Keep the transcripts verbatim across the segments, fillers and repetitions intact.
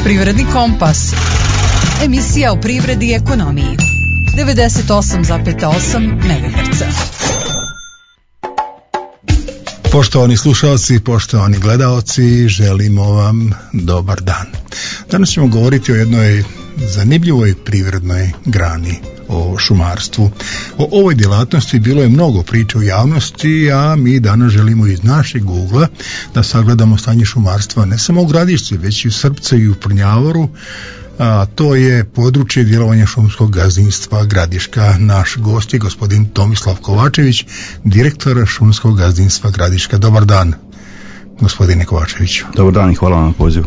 Privredni kompas. Emisija o privredi i ekonomiji. devedeset osam zarez osam megaherca. Poštovani slušalci, poštovani gledaoci, želimo vam dobar dan. Danas ćemo govoriti o jednoj zanimljivoj privrednoj grani, o šumarstvu. O ovoj djelatnosti bilo je mnogo priče u javnosti, a mi danas želimo iz našeg ugla da sagledamo stanje šumarstva ne samo u Gradišci, već i u Srpcu i u Prnjavoru, a to je područje djelovanja šumskog gazdinstva Gradiška. Naš gost je gospodin Tomislav Kovačević, direktor šumskog gazdinstva Gradiška. Dobar dan, gospodine Kovačeviću. Dobar dan i hvala vam na pozivu.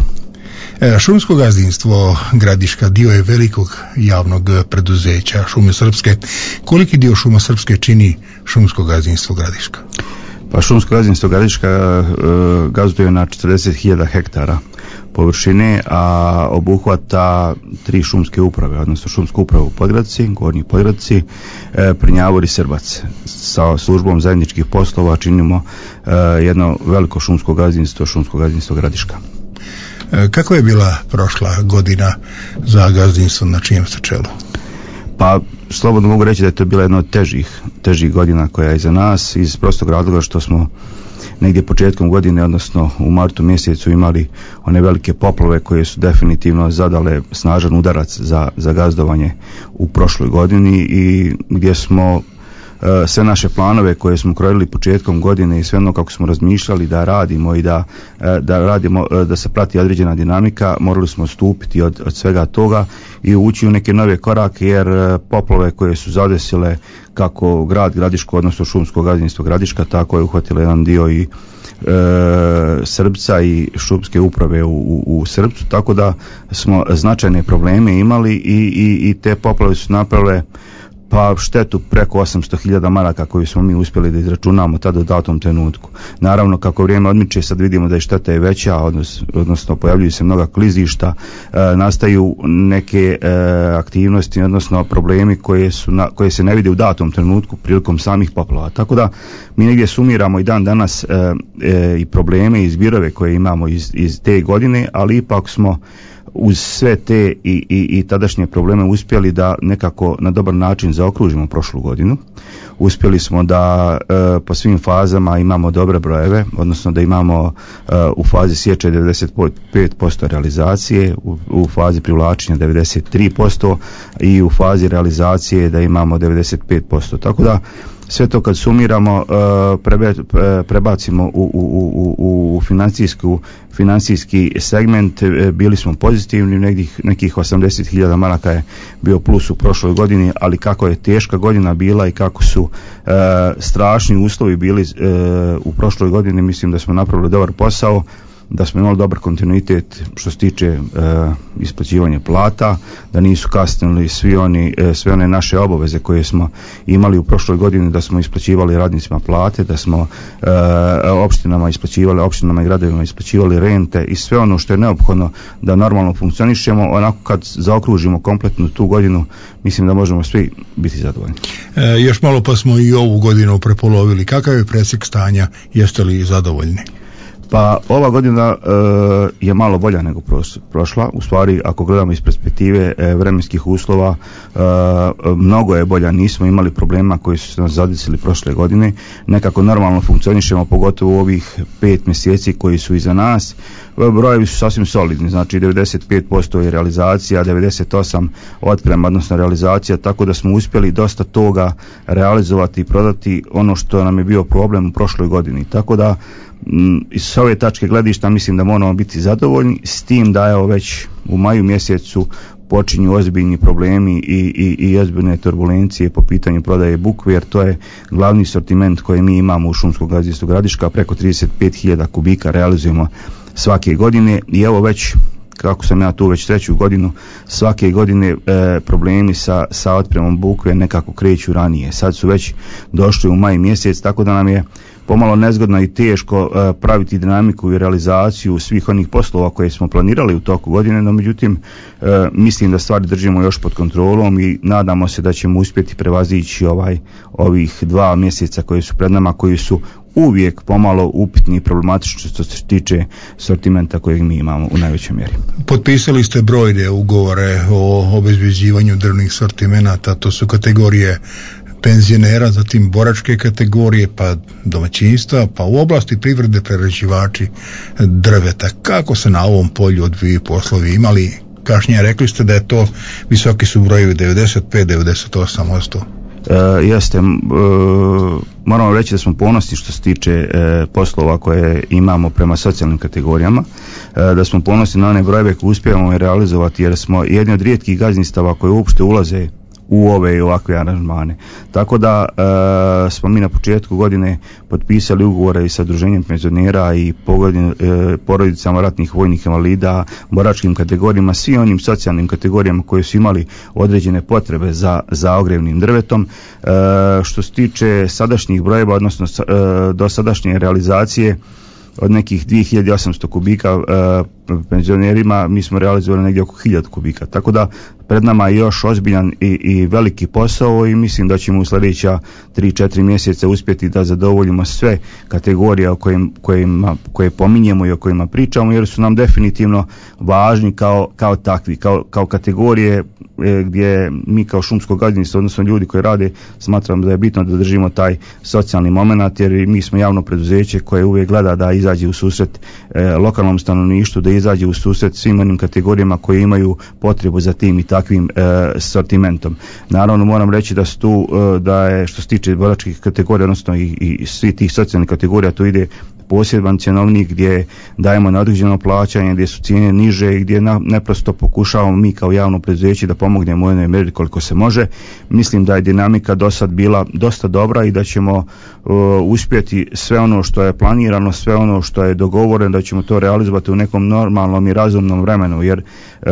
E, šumsko gazdinstvo Gradiška dio je velikog javnog preduzeća Šume Srpske. Koliki dio Šuma Srpske čini šumsko gazdinstvo Gradiška? Pa šumsko gazdinstvo Gradiška e, gazduje na četrdeset hiljada hektara površine, a obuhvata tri šumske uprave, odnosno šumsku upravu u Podgradci, Gornji Podgradci, e, Prnjavor i Srbac. Sa službom zajedničkih poslova činimo e, jedno veliko šumsko gazdinstvo, šumsko gazdinstvo Gradiška. E, kako je bila prošla godina za gazdinstvo na čijem ste čelu? Pa slobodno mogu reći da je to bila jedna od težih, težih godina koja je iza nas, iz prostog razloga što smo negdje početkom godine, odnosno u martu mjesecu, imali one velike poplave koje su definitivno zadale snažan udarac za, za gazdovanje u prošloj godini i gdje smo e, sve naše planove koje smo krojili početkom godine i sve ono kako smo razmišljali da radimo i da, e, da radimo, e, da se prati određena dinamika, morali smo odstupiti od, od svega toga i ući u neke nove korake, jer e, poplave koje su zadesile kako grad Gradiško, odnosno šumsko gazdinstvo Gradiška, tako je uhvatilo jedan dio i e, Srbca i šumske uprave u, u, u Srbcu, tako da smo značajne probleme imali i, i, i te poplave su napravile pa štetu preko osamsto hiljada maraka koju smo mi uspjeli da izračunamo tada u datom trenutku. Naravno, kako vrijeme odmiče, sad vidimo da je šteta je veća, odnos, odnosno pojavljuju se mnoga klizišta, e, nastaju neke e, aktivnosti, odnosno problemi koje, su na, koje se ne vide u datom trenutku prilikom samih poplava. Tako da mi negdje sumiramo i dan danas e, e, i probleme i zbirove koje imamo iz, iz te godine, ali ipak smo uz sve te i, i, i tadašnje probleme uspjeli da nekako na dobar način zaokružimo prošlu godinu. Uspjeli smo da e, po svim fazama imamo dobre brojeve, odnosno da imamo e, u fazi sječe devedeset pet posto realizacije, u, u fazi privlačenja devedeset tri posto i u fazi realizacije da imamo devedeset pet posto. Tako da sve to kad sumiramo, prebe, prebacimo u, u, u, u financijsku, financijski segment, bili smo pozitivni, nekih, nekih osamdeset hiljada maraka je bio plus u prošloj godini, ali kako je teška godina bila i kako su e, strašni uslovi bili e, u prošloj godini, mislim da smo napravili dobar posao, da smo imali dobar kontinuitet što se tiče e, isplaćivanja plata, da nisu kasnili svi oni, e, sve one naše obaveze koje smo imali u prošloj godini, da smo isplaćivali radnicima plate, da smo e, opštinama isplaćivali, opštinama i gradovima isplaćivali rente i sve ono što je neophodno da normalno funkcionišemo. Onako kad zaokružimo kompletnu tu godinu, mislim da možemo svi biti zadovoljni. E, još malo pa smo i ovu godinu prepolovili. Kakav je presjek stanja? Jeste li zadovoljni? Pa ova godina e, je malo bolja nego prošla. U stvari, ako gledamo iz perspektive e, vremenskih uslova, e, mnogo je bolja. Nismo imali problema koji su se nas zadesili prošle godine. Nekako normalno funkcionišemo, pogotovo u ovih pet mjeseci koji su iza nas. Brojevi su sasvim solidni, znači devedeset pet posto je realizacija, devedeset osam posto otprema, odnosno realizacija, tako da smo uspjeli dosta toga realizovati i prodati, ono što nam je bio problem u prošloj godini. Tako da iz ove tačke gledišta mislim da moramo biti zadovoljni, s tim da evo već u maju mjesecu počinju ozbiljni problemi i, i, i ozbiljne turbulencije po pitanju prodaje bukve, jer to je glavni sortiment koji mi imamo u šumskom gazdinstvu Gradiška, preko trideset pet hiljada kubika realizujemo svake godine i evo već, kako sam ja tu već treću godinu, svake godine e, problemi sa, sa otpremom bukve nekako kreću ranije. Sad su već došli u maj mjesec, tako da nam je pomalo nezgodno i teško e, praviti dinamiku i realizaciju svih onih poslova koje smo planirali u toku godine, no međutim e, mislim da stvari držimo još pod kontrolom i nadamo se da ćemo uspjeti prevazići ovaj, ovih dva mjeseca koji su pred nama, koji su uvijek pomalo upitni i problematični što se tiče sortimenta kojeg mi imamo u najvećoj mjeri. Potpisali ste brojne ugovore o obezbeđivanju drvnih sortimenata, to su kategorije penzionera, zatim boračke kategorije, pa domaćinstva, pa u oblasti privrede prerađivači drveta. Kako se na ovom polju odvijaju poslovi? Imali kašnje, rekli ste da je to visoki su brojevi devedeset pet do devedeset osam posto. E, jeste, e, moramo reći da smo ponosni što se tiče e, poslova koje imamo prema socijalnim kategorijama, e, da smo ponosni na one brojeve koje uspijemo realizovati, jer smo jedni od rijetkih gazdinstava koje uopšte ulaze u ove i ovakve aranžmane. Tako da e, smo mi na početku godine potpisali ugovore i sa Udruženjem penzionera i pogodin, e, porodicama ratnih vojnih invalida, boračkim kategorijama, svim onim socijalnim kategorijama koje su imali određene potrebe za, za ogrjevnim drvetom. E, što se tiče sadašnjih brojeva, odnosno e, do sadašnje realizacije od nekih dvije hiljade osamsto kubika e, penzionerima, mi smo realizovali negdje oko hiljadu kubika. Tako da pred nama je još ozbiljan i, i veliki posao i mislim da ćemo u sljedeća tri četiri mjeseca uspjeti da zadovoljimo sve kategorije o kojim, kojima, koje pominjemo i o kojima pričamo, jer su nam definitivno važni kao, kao takvi, kao, kao kategorije e, gdje mi kao šumsko gazdinstvo, odnosno ljudi koji rade, smatram da je bitno da držimo taj socijalni moment, jer mi smo javno preduzeće koje uvijek gleda da izađe u susret e, lokalnom stanovništvu, da izađe u susret svim onim kategorijama koje imaju potrebu za tim i takvim e, sortimentom. Naravno moram reći da su tu, e, da je što se tiče boračkih kategorija, odnosno i, i svi tih socijalnih kategorija, tu ide poseban cjenovnik gdje dajemo na određeno plaćanje, gdje su cijene niže i gdje na, neprosto pokušavamo mi kao javno preduzeće da pomognemo u jednoj mjeri koliko se može. Mislim da je dinamika do sad bila dosta dobra i da ćemo uh, uspjeti sve ono što je planirano, sve ono što je dogovoreno, da ćemo to realizovati u nekom normalnom i razumnom vremenu, jer uh,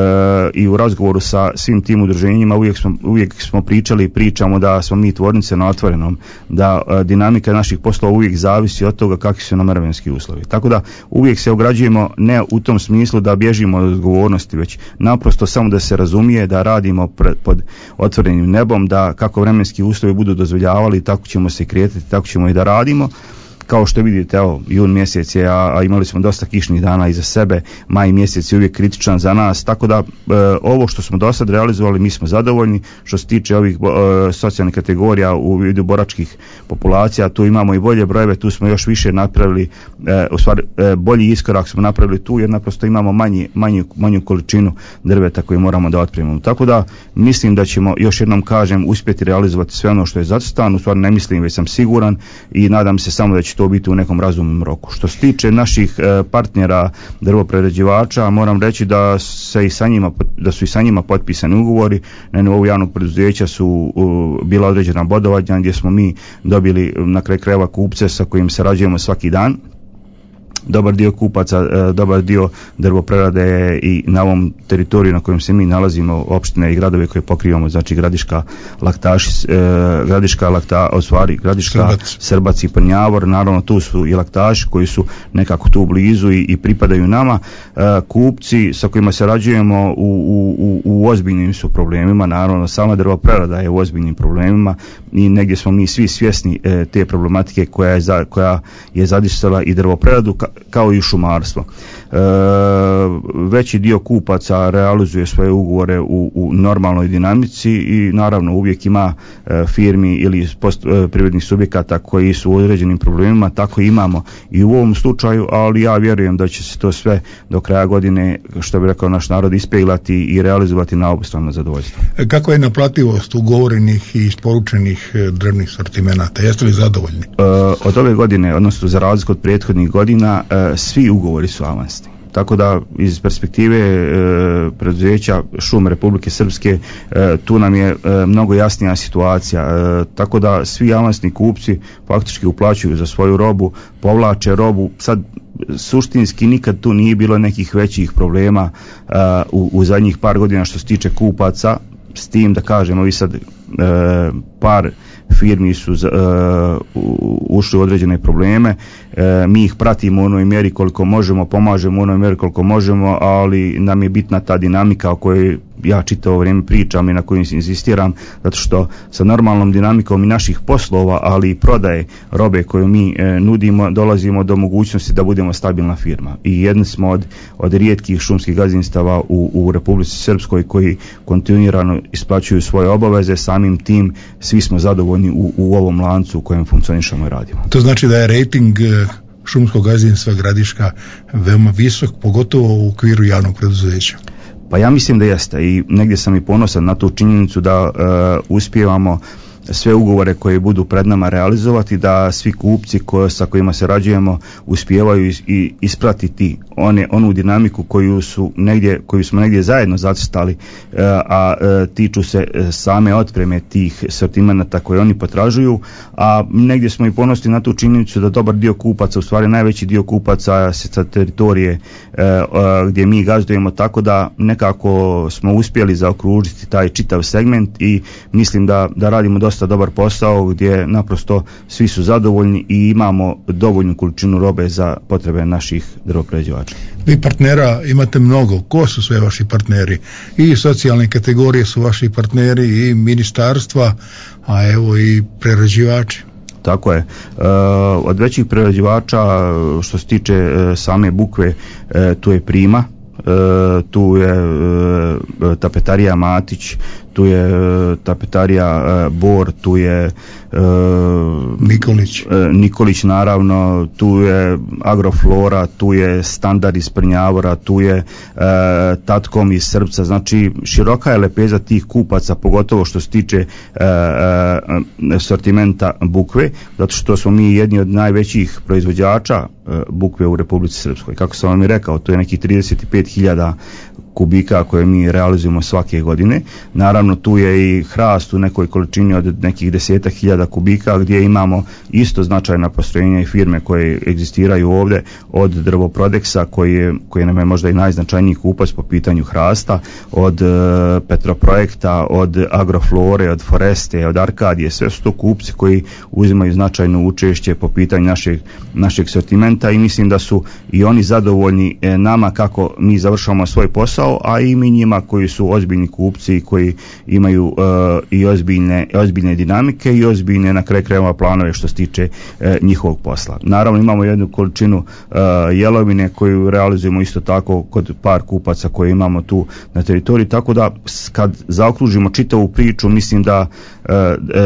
i u razgovoru sa svim tim udruženjima uvijek smo, uvijek smo pričali i pričamo da smo mi tvornice na otvorenom, da uh, dinamika naših poslova uvijek zavisi od toga kakvi su nam vremenski uslovi. Tako da uvijek se ograđujemo ne u tom smislu da bježimo od odgovornosti, već naprosto samo da se razumije da radimo pred, pod otvorenim nebom, da kako vremenski uslovi budu dozvoljavali, tako ćemo se kretati, tako ćemo i da radimo. Kao što vidite, evo, jun mjesec je, a, a imali smo dosta kišnih dana iza sebe, maj mjesec je uvijek kritičan za nas, tako da e, ovo što smo do sad realizovali, mi smo zadovoljni. Što se tiče ovih e, socijalnih kategorija u vidu boračkih populacija, tu imamo i bolje brojeve, tu smo još više napravili, e, u stvari e, bolji iskorak smo napravili tu, jer naprosto imamo manji, manju, manju količinu drveta koju moramo da otpremimo. Tako da mislim da ćemo, još jednom kažem, uspjeti realizovati sve ono što je zacrtano, u stvari ne mislim, već sam siguran i nadam se samo da će to biti u nekom razumnom roku. Što se tiče naših e, partnera drvoprerađivača, moram reći da se i sa njima, da su i sa njima potpisani ugovori. Na nivou javnog preduzeća su uh, bila određena bodovanja gdje smo mi dobili na kraju krajeva kupce sa kojim sarađujemo svaki dan. Dobar dio kupaca, dobar dio drvoprerade i na ovom teritoriju na kojem se mi nalazimo, opštine i gradove koje pokrivamo, znači Gradiška, Laktaš, Gradiška, Lakta, osvari, Gradiška, Srbac, Srbac i Prnjavor, naravno tu su i Laktaši koji su nekako tu blizu i, i pripadaju nama. Kupci sa kojima sarađujemo u, u, u, u ozbiljnim su problemima, naravno sama drvoprerada je u ozbiljnim problemima i negdje smo mi svi svjesni te problematike koja je, za, koja je zadisala i drvopreradu kao i šumarstvo. E, veći dio kupaca realizuje svoje ugovore u, u normalnoj dinamici i naravno uvijek ima e, firmi ili post, e, privrednih subjekata koji su u određenim problemima, tako imamo i u ovom slučaju, ali ja vjerujem da će se to sve do kraja godine, što bi rekao naš narod, ispeglati i realizovati na obostrano zadovoljstvo. Kako je naplativost ugovorenih i isporučenih drvnih sortimenata? Jeste li zadovoljni? E, od ove godine, odnosno za razliku od prethodnih godina, e, svi ugovori su avansni. Tako da iz perspektive e, preduzeća Šume Republike Srpske e, tu nam je e, mnogo jasnija situacija. E, tako da svi avansni kupci faktički uplaćuju za svoju robu, povlače robu. Sad suštinski nikad tu nije bilo nekih većih problema e, u, u zadnjih par godina što se tiče kupaca, s tim da kažemo, vi sad par firmi su uh, ušli u određene probleme, uh, mi ih pratimo u onoj mjeri koliko možemo, pomažemo u onoj mjeri koliko možemo, ali nam je bitna ta dinamika o kojoj ja čitavo vrijeme pričam i na kojoj insistiram, zato što sa normalnom dinamikom i naših poslova, ali i prodaje robe koju mi e, nudimo, dolazimo do mogućnosti da budemo stabilna firma. I jedni smo od, od rijetkih šumskih gazdinstava u, u Republici Srpskoj koji kontinuirano isplaćuju svoje obaveze, samim tim svi smo zadovoljni u, u ovom lancu u kojem funkcionišemo i radimo. To znači da je rejting šumskog gazdinstva Gradiška veoma visok, pogotovo u okviru javnog preduzeća. Pa ja mislim da jeste i negdje sam i ponosan na tu činjenicu da uh, uspijevamo sve ugovore koje budu pred nama realizovati, da svi kupci koje, sa kojima se rađujemo uspijevaju i ispratiti one, onu dinamiku koju, su negdje, koju smo negdje zajedno zacrtali, a, a tiču se same otpreme tih sortimenata koje oni potražuju, a negdje smo i ponosni na tu činjenicu da dobar dio kupaca, u stvari najveći dio kupaca se sa teritorije a, a, gdje mi gazdujemo, tako da nekako smo uspjeli zaokružiti taj čitav segment i mislim da, da radimo dosta dobar posao gdje naprosto svi su zadovoljni i imamo dovoljnu količinu robe za potrebe naših drvoprerađivača. Vi partnera imate mnogo. Ko su sve vaši partneri? I socijalne kategorije su vaši partneri, i ministarstva, a evo i prerađivači. Tako je. E, od većih prerađivača što se tiče e, same bukve, e, tu je Prima, e, tu je e, tapetarija Matić, tu je e, tapetarija e, Bor, tu je e, Nikolić. E, Nikolić naravno, tu je Agroflora, tu je Standard iz Prnjavora, tu je e, Tatkom iz Srpca, znači široka je lepeza tih kupaca, pogotovo što se tiče e, e, sortimenta bukve, zato što smo mi jedni od najvećih proizvođača e, bukve u Republici Srpskoj. Kako sam vam i rekao, to je neki trideset pet hiljada kubika koje mi realizujemo svake godine. Naravno tu je i hrast u nekoj količini od nekih desetak hiljada kubika gdje imamo isto značajna postrojenja i firme koje egzistiraju ovdje, od Drvoprodeksa koji, je, koji nam je možda i najznačajniji kupac po pitanju hrasta, od e, Petroprojekta, od Agroflore, od Foreste, od Arkadije, sve su to kupci koji uzimaju značajno učešće po pitanju našeg, našeg sortimenta i mislim da su i oni zadovoljni e, nama kako mi završavamo svoj posao, a i mi njima koji su ozbiljni kupci koji imaju uh, i ozbiljne, ozbiljne dinamike i ozbiljne na kraju krajeva planove što se tiče uh, njihovog posla. Naravno imamo jednu količinu uh, jelovine koju realizujemo isto tako kod par kupaca koje imamo tu na teritoriji, tako da kad zaokružimo čitavu priču mislim da uh,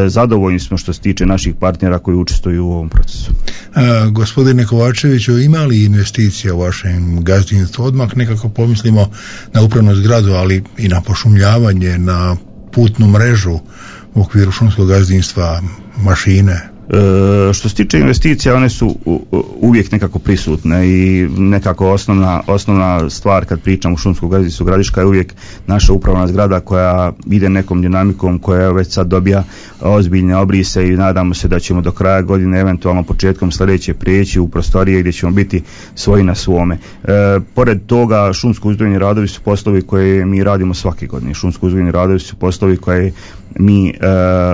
zadovoljni smo što se tiče naših partnera koji učestvuju u ovom procesu. Uh, gospodine Kovačeviću, ima li investicija u vašem gazdinstvu? Odmah nekako pomislimo na upravnu zgradu, ali i na pošumljavanje, na putnu mrežu u okviru šumskog gazdinstva, mašine. E, što se tiče investicija, one su u, uvijek nekako prisutne i nekako osnovna, osnovna stvar kad pričam o šumskom gazdinstvu Gradiška je uvijek naša upravna zgrada koja ide nekom dinamikom, koja već sad dobija ozbiljne obrise i nadamo se da ćemo do kraja godine, eventualno početkom sljedeće prijeći u prostorije gdje ćemo biti svoji na svome. E, pored toga, šumsko uzgojni radovi su poslovi koje mi radimo svake godine. Šumsko uzgojni radovi su poslovi koje mi e,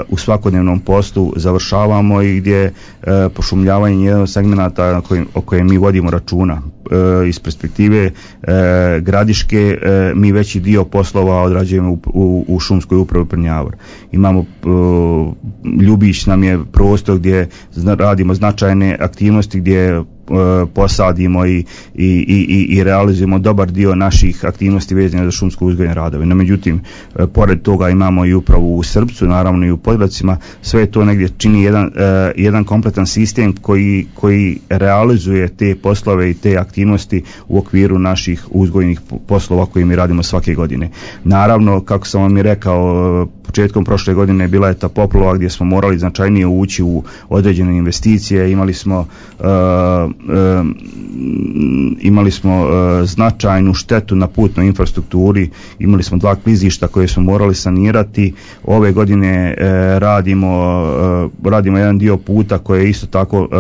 u svakodnevnom poslu završavamo i gdje e, pošumljavanje je jedan od segmenata o kojem mi vodimo računa. E, iz perspektive e, Gradiške e, mi veći dio poslova odrađujemo u, u, u šumskoj upravi Prnjavor. Imamo e, Ljubić nam je prostor gdje zna, radimo značajne aktivnosti gdje posadimo i, i, i, i realizujemo dobar dio naših aktivnosti vezane za šumsko uzgojne radove. No, međutim, pored toga imamo i upravu u Srpcu, naravno i u Podvracima, sve to negdje čini jedan, uh, jedan kompletan sistem koji, koji realizuje te poslove i te aktivnosti u okviru naših uzgojnih poslova koje mi radimo svake godine. Naravno, kako sam vam i rekao, početkom prošle godine bila je ta poplava gdje smo morali značajnije ući u određene investicije, imali smo uh, E, imali smo e, značajnu štetu na putnoj infrastrukturi, imali smo dva klizišta koje smo morali sanirati. Ove godine e, radimo e, radimo jedan dio puta koji je isto tako e,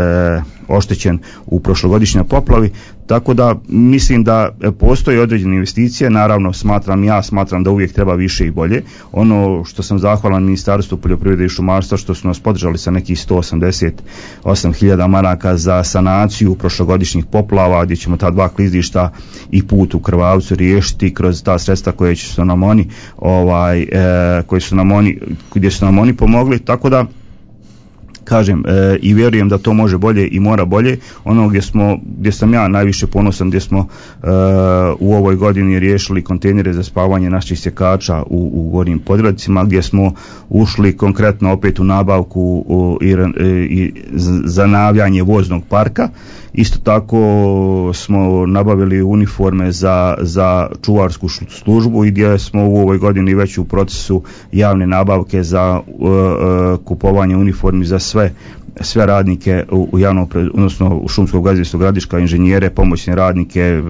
e, oštećen u prošlogodišnjoj poplavi, Tako da mislim da postoje određene investicije, naravno smatram ja, smatram da uvijek treba više i bolje. Ono što sam zahvalan Ministarstvu poljoprivrede i šumarstva što su nas podržali sa nekih sto osamdeset osam hiljada maraka za sanaciju prošlogodišnjih poplava, gdje ćemo ta dva klizišta i put u Krvavcu riješiti kroz ta sredstva koje su nam oni, ovaj, e, koje su nam oni, gdje su nam oni pomogli, tako da kažem e, i vjerujem da to može bolje i mora bolje. Ono gdje smo, gdje sam ja najviše ponosan, gdje smo e, u ovoj godini riješili kontejnere za spavanje naših sjekača u, u Gornjim Podgradcima, gdje smo ušli konkretno opet u nabavku u, i, i zanavljanje voznog parka. Isto tako smo nabavili uniforme za, za čuvarsku službu i gdje smo u ovoj godini već u procesu javne nabavke za uh, uh, kupovanje uniformi za sve sve radnike u, u javnom, odnosno u šumskog gazdinstva Gradiška, inženjere, pomoćne radnike,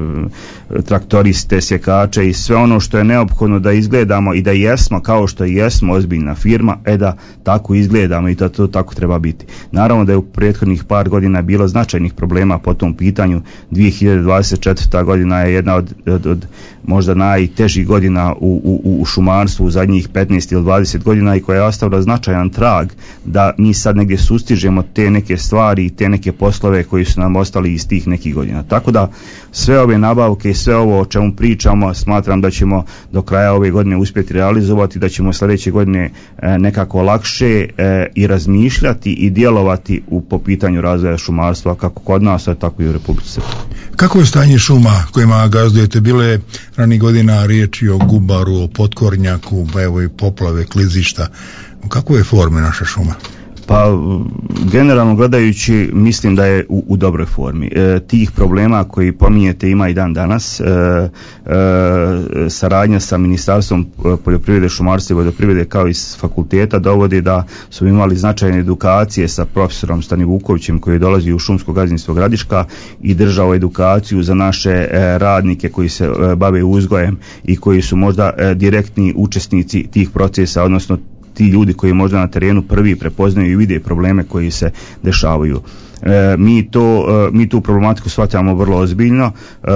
traktoriste, sjekače i sve ono što je neophodno da izgledamo i da jesmo kao što jesmo ozbiljna firma, e da tako izgledamo i da to tako treba biti. Naravno da je u prethodnih par godina bilo značajnih problema po tom pitanju. dvije hiljade dvadeset četvrta godina je jedna od, od, od možda najtežih godina u, u, u šumarstvu u zadnjih petnaest ili dvadeset godina i koja je ostavila značajan trag da mi sad negdje sustižemo te neke stvari i te neke poslove koji su nam ostali iz tih nekih godina. Tako da sve ove nabavke i sve ovo o čemu pričamo smatram da ćemo do kraja ove godine uspjeti realizovati, da ćemo sljedeće godine e, nekako lakše e, i razmišljati i djelovati u, po pitanju razvoja šumarstva kako kod nas, a tako i u Republici Srpskoj. Kako je stanje šuma kojima gazdujete? Bile ranih godina riječi o gubaru, o potkornjaku, pa evo i poplave, klizišta. U kakvoj je formi naša šuma? Pa generalno gledajući mislim da je u, u dobroj formi. E, tih problema koji pominjete ima i dan danas. E, e, saradnja sa Ministarstvom poljoprivrede, šumarstva i vodoprivrede kao i s fakulteta dovodi da su imali značajne edukacije sa profesorom Stani Vukovićem koji dolazi u šumsko gazdinstvo Gradiška i držao edukaciju za naše e, radnike koji se e, bave uzgojem i koji su možda e, direktni učesnici tih procesa, odnosno ti ljudi koji možda na terenu prvi prepoznaju i vide probleme koji se dešavaju. E, mi, to, e, mi tu problematiku shvaćamo vrlo ozbiljno e,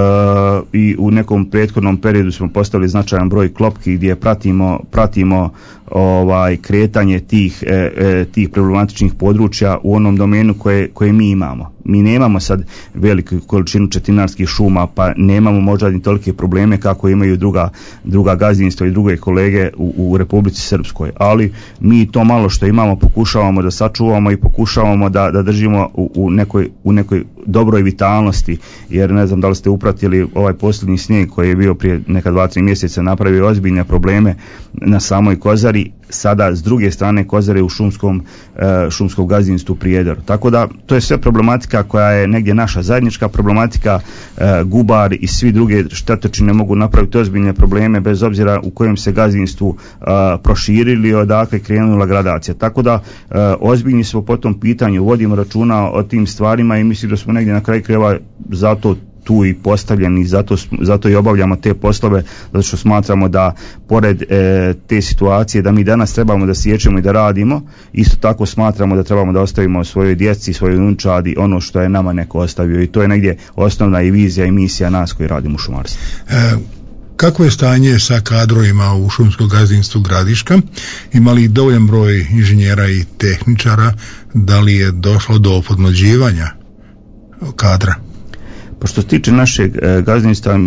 i u nekom prethodnom periodu smo postavili značajan broj klopki gdje pratimo, pratimo ovaj, kretanje tih, e, e, tih problematičnih područja u onom domenu koje, koje mi imamo. Mi nemamo sad veliku količinu četinarskih šuma, pa nemamo možda ni tolike probleme kako imaju druga, druga gazdinstva i druge kolege u, u Republici Srpskoj, ali mi to malo što imamo pokušavamo da sačuvamo i pokušavamo da, da držimo u, u, nekoj, u nekoj dobroj vitalnosti, jer ne znam da li ste upratili ovaj posljednji snijeg koji je bio prije neka dva, tri mjeseca, napravio ozbiljne probleme na samoj Kozari, sada s druge strane Kozare u šumskom, e, šumskom gazdinstvu Prijedor. Tako da to je sve problematika koja je negdje naša zajednička problematika. e, Gubar i svi druge štetočine mogu napraviti ozbiljne probleme bez obzira u kojem se gazdinstvu e, proširili, odakle krenula gradacija. Tako da e, ozbiljni smo po tom pitanju, vodimo računa o tim stvarima i mislim da smo negdje na kraju krajeva zato tu i postavljeni, zato, zato i obavljamo te poslove, zato što smatramo da pored e, te situacije da mi danas trebamo da siječemo i da radimo, isto tako smatramo da trebamo da ostavimo svojoj djeci, svojoj unčadi ono što je nama neko ostavio i to je negdje osnovna i vizija i misija nas koji radimo u šumarstvu. E, kako je stanje sa kadrovima u šumskom gazdinstvu Gradiška? Ima li dovoljan broj inženjera i tehničara? Da li je došlo do podmlađivanja kadra? Pa što se tiče našeg e, gazdinstva,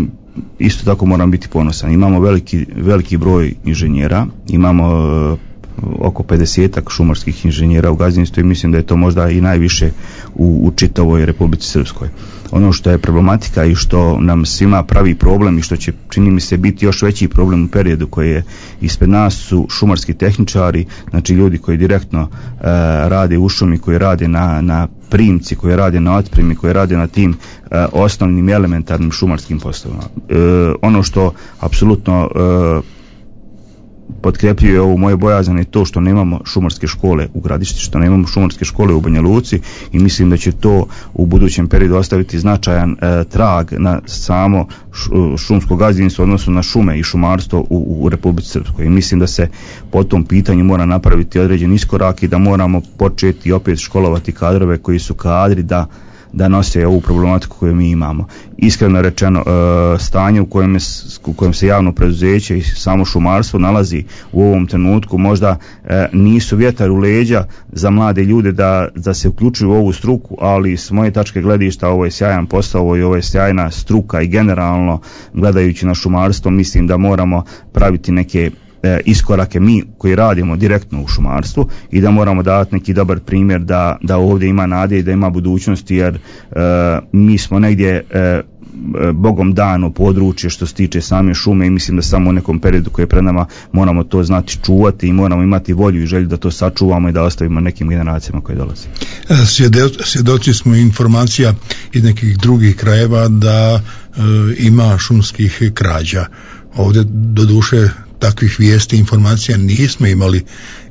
isto tako moram biti ponosan. Imamo veliki, veliki broj inženjera, imamo e, oko pedesetak šumarskih inženjera u gazdinstvu i mislim da je to možda i najviše u, u čitavoj Republici Srpskoj. Ono što je problematika i što nam svima pravi problem i što će, čini mi se, biti još veći problem u periodu koji je ispred nas su šumarski tehničari, znači ljudi koji direktno e, rade u šumi, koji rade na, na primci, koji rade na otpremi, koji rade na tim e, osnovnim elementarnim šumarskim poslovima. E, ono što apsolutno e, potkrepljuje ovu moju bojazan je to što nemamo šumarske škole u Gradišti, što nemamo šumarske škole u Banja Luci i mislim da će to u budućem periodu ostaviti značajan e, trag na samo š, šumsko gazdinstvo, odnosno na šume i šumarstvo u, u Republici Srpskoj. I mislim da se po tom pitanju mora napraviti određen iskorak i da moramo početi opet školovati kadrove koji su kadri da da nose ovu problematiku koju mi imamo. Iskreno rečeno, e, stanje u kojem, je, u kojem se javno preduzeće i samo šumarstvo nalazi u ovom trenutku možda e, nisu vjetar u leđa za mlade ljude da, da se uključuju u ovu struku, ali s moje tačke gledišta ovo je sjajan posao, ovo je, ovo je sjajna struka i generalno gledajući na šumarstvo mislim da moramo praviti neke e, iskorake mi koji radimo direktno u šumarstvu i da moramo dati neki dobar primjer da, da ovdje ima nade i da ima budućnosti, jer e, mi smo negdje e, Bogom dano područje što se tiče same šume i mislim da samo u nekom periodu koji je pred nama moramo to znati čuvati i moramo imati volju i želju da to sačuvamo i da ostavimo nekim generacijama koje dolaze. Svjedoci smo informacija iz nekih drugih krajeva da e, ima šumskih krađa. Ovdje doduše takvih vijesti, informacija nismo imali.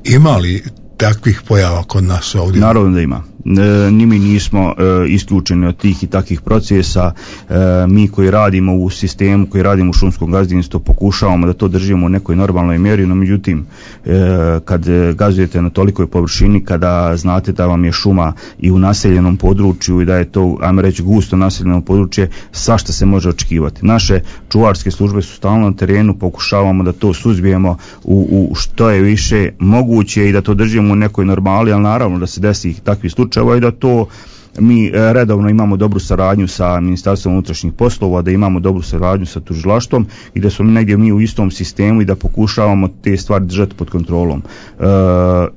Imali takvih pojava kod nas ovdje? Naravno da ima. E, ni mi nismo e, isključeni od tih i takvih procesa. E, mi koji radimo u sistemu, koji radimo u šumskom gazdinstvu, pokušavamo da to držimo u nekoj normalnoj mjeri, no međutim e, kad gazdujete na tolikoj površini, kada znate da vam je šuma i u naseljenom području i da je to, ajmo reći, gusto naseljeno područje, svašta se može očekivati. Naše čuvarske službe su stalno na terenu, pokušavamo da to suzbijemo u, u što je više moguće i da to držimo u nekoj normali, ali naravno da se desi takvi slučajevi i da to mi redovno imamo dobru saradnju sa Ministarstvom unutrašnjih poslova, da imamo dobru saradnju sa tužilaštvom i da smo negdje mi u istom sistemu i da pokušavamo te stvari držati pod kontrolom. E,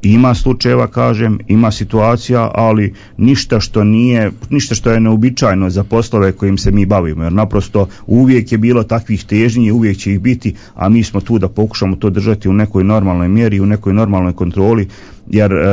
ima slučajeva, kažem, ima situacija, ali ništa što nije, ništa što je neobičajno za poslove kojim se mi bavimo, jer naprosto uvijek je bilo takvih težnji, uvijek će ih biti, a mi smo tu da pokušamo to držati u nekoj normalnoj mjeri, u nekoj normalnoj kontroli, jer e,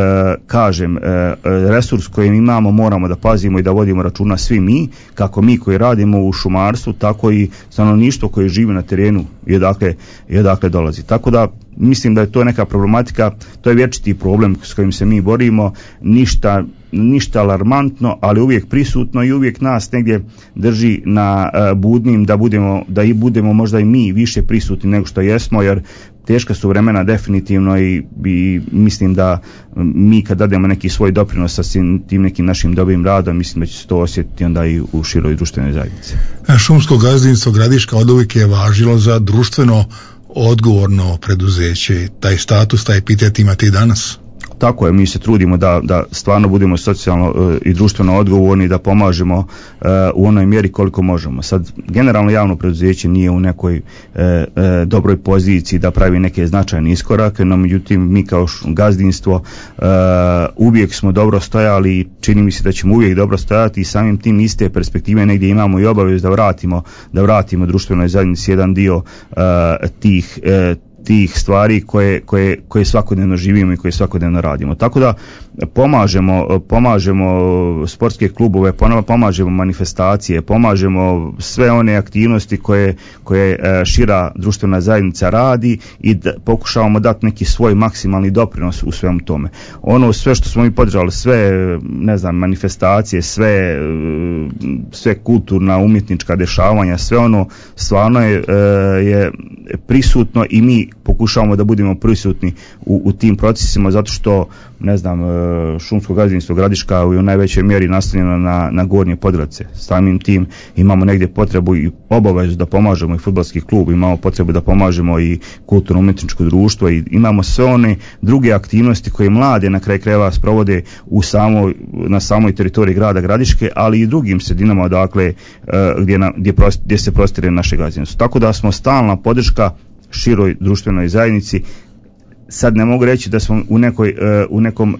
kažem, e, resurs koji imamo moramo da pazimo i da vodimo računa svi mi, kako mi koji radimo u šumarstvu, tako i stanovništvo koje živi na terenu i odakle, i odakle dolazi. Tako da mislim da je to neka problematika, to je vječiti problem s kojim se mi borimo, ništa, ništa alarmantno, ali uvijek prisutno i uvijek nas negdje drži na uh, budnim da budemo, da i budemo možda i mi više prisutni nego što jesmo, jer teška su vremena definitivno i, i mislim da mi kad dademo neki svoj doprinos sa tim nekim našim dobrim radom, mislim da će se to osjetiti onda i u široj društvenoj zajednici. Šumsko gazdinstvo Gradiška oduvijek je važilo za društveno odgovorno preduzeće. Taj status, taj epitet imate i danas? Tako je, mi se trudimo da, da stvarno budemo socijalno uh, i društveno odgovorni, da pomažemo uh, u onoj mjeri koliko možemo. Sad, generalno javno preduzeće nije u nekoj uh, uh, dobroj poziciji da pravi neke značajne iskorake, no međutim mi kao gazdinstvo uh, uvijek smo dobro stojali i čini mi se da ćemo uvijek dobro stojati i samim tim iste perspektive negdje imamo i obavezu da vratimo, da vratimo društvenoj zajednici jedan dio uh, tih uh, tih stvari koje, koje, koje svakodnevno živimo i koje svakodnevno radimo. Tako da pomažemo, pomažemo sportske klubove, pomažemo manifestacije, pomažemo sve one aktivnosti koje, koje šira društvena zajednica radi i da pokušavamo dati neki svoj maksimalni doprinos u svemu tome. Ono sve što smo mi podržali, sve, ne znam, manifestacije, sve, sve kulturna, umjetnička dešavanja, sve ono stvarno je, je prisutno i mi pokušavamo da budemo prisutni u, u tim procesima, zato što, ne znam, šumsko gazdinstvo Gradiška je u najvećoj mjeri nastavljeno na, na Gornje Podravce. Samim tim imamo negdje potrebu i obavezu da pomažemo i fudbalski klub, imamo potrebu da pomažemo i kulturno umjetničko društvo i imamo sve one druge aktivnosti koje mlade na kraj krajeva sprovode u samoj, na samoj teritoriji grada Gradiške, ali i drugim sredinama odakle gdje, na, gdje, prost, gdje se prostire naše gazdinstvo. Tako da smo stalna podrška široj društvenoj zajednici. Sad ne mogu reći da smo u nekoj, u nekom,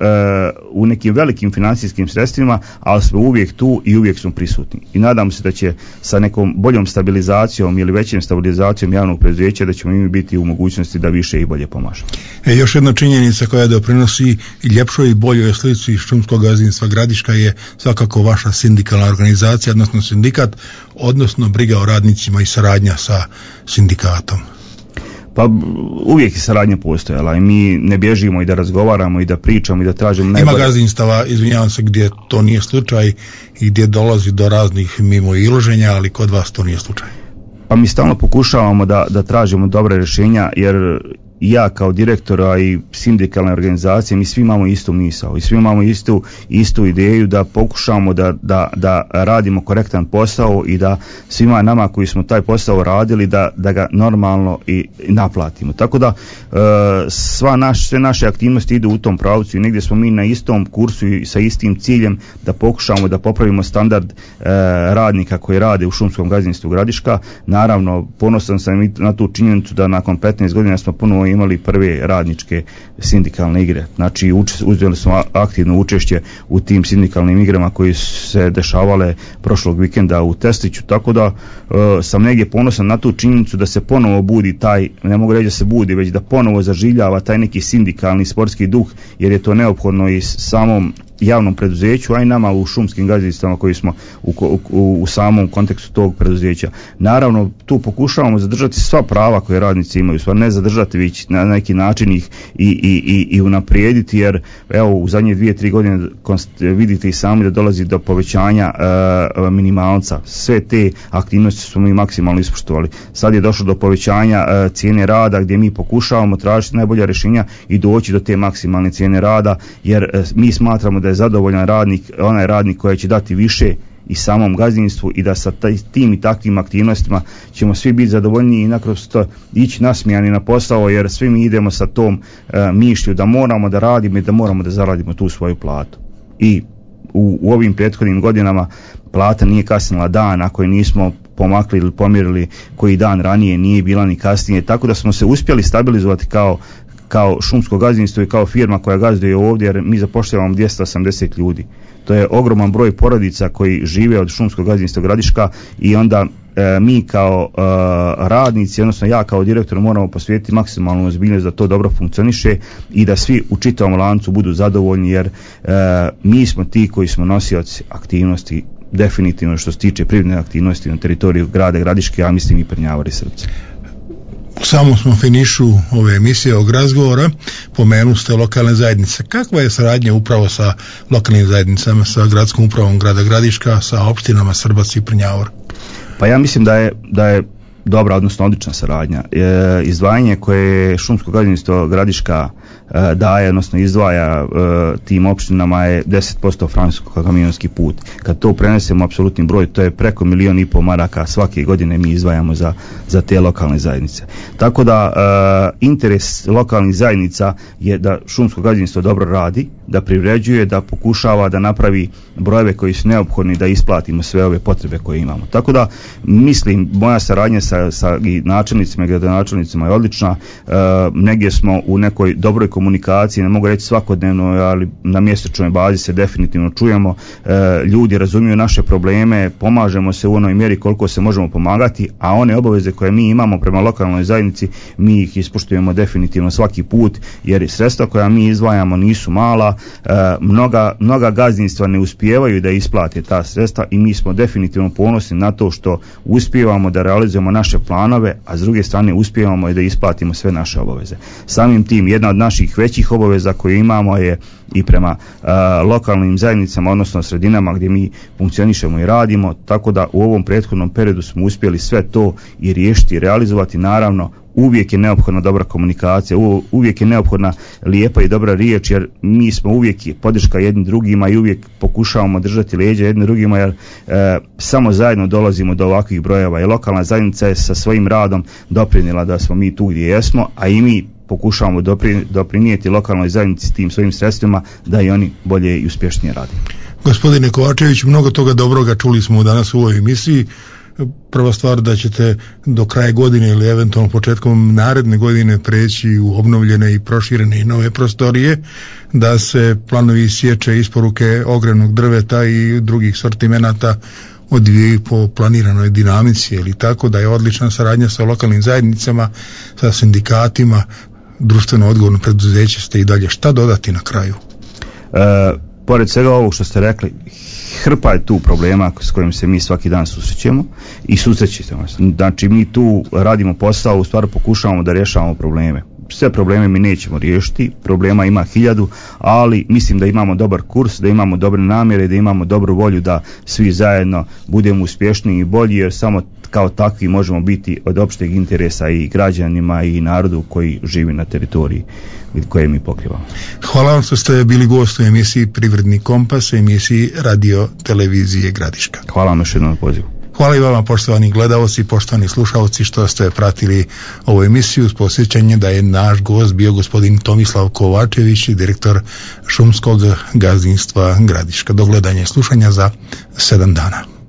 u nekim velikim financijskim sredstvima, ali smo uvijek tu i uvijek smo prisutni. I nadam se da će sa nekom boljom stabilizacijom ili većim stabilizacijom javnog preduzeća da ćemo mi biti u mogućnosti da više i bolje pomažemo. E, još jedna činjenica koja doprinosi ljepšoj i boljoj slici šumskog gazdinstva Gradiška je svakako vaša sindikalna organizacija, odnosno sindikat, odnosno briga o radnicima i saradnja sa sindikatom. Pa uvijek je saradnja postojala i mi ne bježimo i da razgovaramo i da pričamo i da tražimo najbolje. Ima gazdinstava, izvinjavam se, gdje to nije slučaj i gdje dolazi do raznih mimo iloženja, ali kod vas to nije slučaj. Pa mi stalno pokušavamo da, da tražimo dobre rješenja, jer ja kao direktora i sindikalne organizacije, mi svi imamo istu misao i svi imamo istu, istu ideju da pokušamo da, da, da radimo korektan posao i da svima nama koji smo taj posao radili da, da ga normalno i, i naplatimo. Tako da e, sva naš, sve naše aktivnosti idu u tom pravcu i negdje smo mi na istom kursu i sa istim ciljem da pokušamo da popravimo standard e, radnika koji rade u šumskom gazdinstvu Gradiška. Naravno, ponosan sam i na tu činjenicu da nakon petnaest godina smo ponovo imali prve radničke sindikalne igre. Znači, uzeli smo aktivno učešće u tim sindikalnim igrama koji su se dešavale prošlog vikenda u Testiću, tako da e, sam negdje ponosan na tu činjenicu da se ponovo budi taj, ne mogu reći da se budi, već da ponovo zaživljava taj neki sindikalni sportski duh, jer je to neophodno i samom javnom preduzeću, a i nama u šumskim gazdinstvima koji smo u, u, u samom kontekstu tog preduzeća. Naravno, tu pokušavamo zadržati sva prava koje radnici imaju, stvar ne zadržati, već na neki način ih i, i, i, i unaprijediti, jer evo u zadnje dvije, tri godine vidite i sami da dolazi do povećanja e, minimalca. Sve te aktivnosti smo mi maksimalno ispoštovali. Sad je došlo do povećanja e, cijene rada, gdje mi pokušavamo tražiti najbolja rješenja i doći do te maksimalne cijene rada, jer e, mi smatramo da je zadovoljan radnik onaj radnik koji će dati više i samom gazdinstvu i da sa taj, tim i takvim aktivnostima ćemo svi biti zadovoljni i nakrosto ići nasmijani na posao, jer svi mi idemo sa tom e, mišlju da moramo da radimo i da moramo da zaradimo tu svoju platu. I u, u ovim prethodnim godinama plata nije kasnila dan ako je nismo pomakli ili pomjerili koji dan ranije, nije bila ni kasnije, tako da smo se uspjeli stabilizovati kao kao šumsko gazdinstvo i kao firma koja gazduje ovdje, jer mi zapošljavamo dvjesto osamdeset ljudi. To je ogroman broj porodica koji žive od šumskog gazdinstva Gradiška i onda e, mi kao e, radnici, odnosno ja kao direktor moramo posvetiti maksimalnu ozbiljnost da to dobro funkcioniše i da svi u čitavom lancu budu zadovoljni, jer e, mi smo ti koji smo nosioci aktivnosti definitivno što se tiče privredne aktivnosti na teritoriju grada Gradiške, a mislim i Prnjavar i Srpce. U samom smo finišu ove emisije ovog razgovora pomenu ste lokalne zajednice. Kakva je saradnja upravo sa lokalnim zajednicama, sa gradskom upravom grada Gradiška, sa opštinama Srbac i Prnjavor? Pa ja mislim da je, da je dobra, odnosno odlična saradnja. E, izdvajanje koje šumsko gazdinstvo Gradiška e, daje, odnosno izdvaja e, tim opštinama je deset posto francusko-kamionski put. Kad to prenesemo apsolutni broj, to je preko milijon i pol maraka svake godine mi izdvajamo za, za te lokalne zajednice. Tako da e, interes lokalnih zajednica je da šumsko gazdinstvo dobro radi, da privređuje, da pokušava da napravi brojeve koji su neophodni da isplatimo sve ove potrebe koje imamo. Tako da mislim, moja saradnja sa, sa i načelnicima i gradonačelnicima je odlična. E, negdje smo u nekoj dobroj komunikaciji, ne mogu reći svakodnevno, ali na mjesečnoj bazi se definitivno čujemo. E, ljudi razumiju naše probleme, pomažemo se u onoj mjeri koliko se možemo pomagati, a one obaveze koje mi imamo prema lokalnoj zajednici, mi ih ispoštujemo definitivno svaki put, jer sredstva koja mi izdvajamo nisu mala. E, mnoga, mnoga gazdinstva ne uspijevaju da isplate ta sredstva i mi smo definitivno ponosni na to što uspijevamo da realizujemo naše planove, a s druge strane uspijevamo i da isplatimo sve naše obaveze. Samim tim, jedna od naših većih obaveza koje imamo je i prema uh, lokalnim zajednicama, odnosno sredinama gdje mi funkcionišemo i radimo, tako da u ovom prethodnom periodu smo uspjeli sve to i riješiti i realizovati. Naravno, uvijek je neophodna dobra komunikacija, uvijek je neophodna lijepa i dobra riječ, jer mi smo uvijek podrška jednim drugima i uvijek pokušavamo držati leđa jednim drugima, jer e, samo zajedno dolazimo do ovakvih brojeva i lokalna zajednica je sa svojim radom doprinijela da smo mi tu gdje jesmo, a i mi pokušavamo dopri, doprinijeti lokalnoj zajednici tim svojim sredstvima da i oni bolje i uspješnije rade. Gospodine Kovačević, mnogo toga dobroga čuli smo danas u ovoj emisiji. Prva stvar da ćete do kraja godine ili eventualno početkom naredne godine preći u obnovljene i proširene i nove prostorije, da se planovi sječe, isporuke ogrjevnog drveta i drugih sortimenata odvijaju po planiranoj dinamici, ili tako da je odlična saradnja sa lokalnim zajednicama, sa sindikatima, društveno odgovorno preduzeće ste i dalje. Šta dodati na kraju? E, pored svega ovog što ste rekli, hrpa je tu problema s kojim se mi svaki dan susrećemo i susrećemo. Znači mi tu radimo posao, u stvari pokušavamo da rješavamo probleme. sve probleme mi nećemo riješiti, problema ima hiljadu, ali mislim da imamo dobar kurs, da imamo dobre namjere, da imamo dobru volju da svi zajedno budemo uspješniji i bolji, jer samo kao takvi možemo biti od opšteg interesa i građanima i narodu koji živi na teritoriji koje mi pokrivamo. Hvala vam što ste bili gost u emisiji Privredni kompas, emisiji Radio Televizije Gradiška. Hvala vam još jednom na pozivu. Hvala i vama, poštovani gledaoci, poštovani slušalci, što ste pratili ovu emisiju, s posjećanjem da je naš gost bio gospodin Tomislav Kovačević, direktor šumskog gazdinstva Gradiška. Do gledanja i slušanja za sedam dana.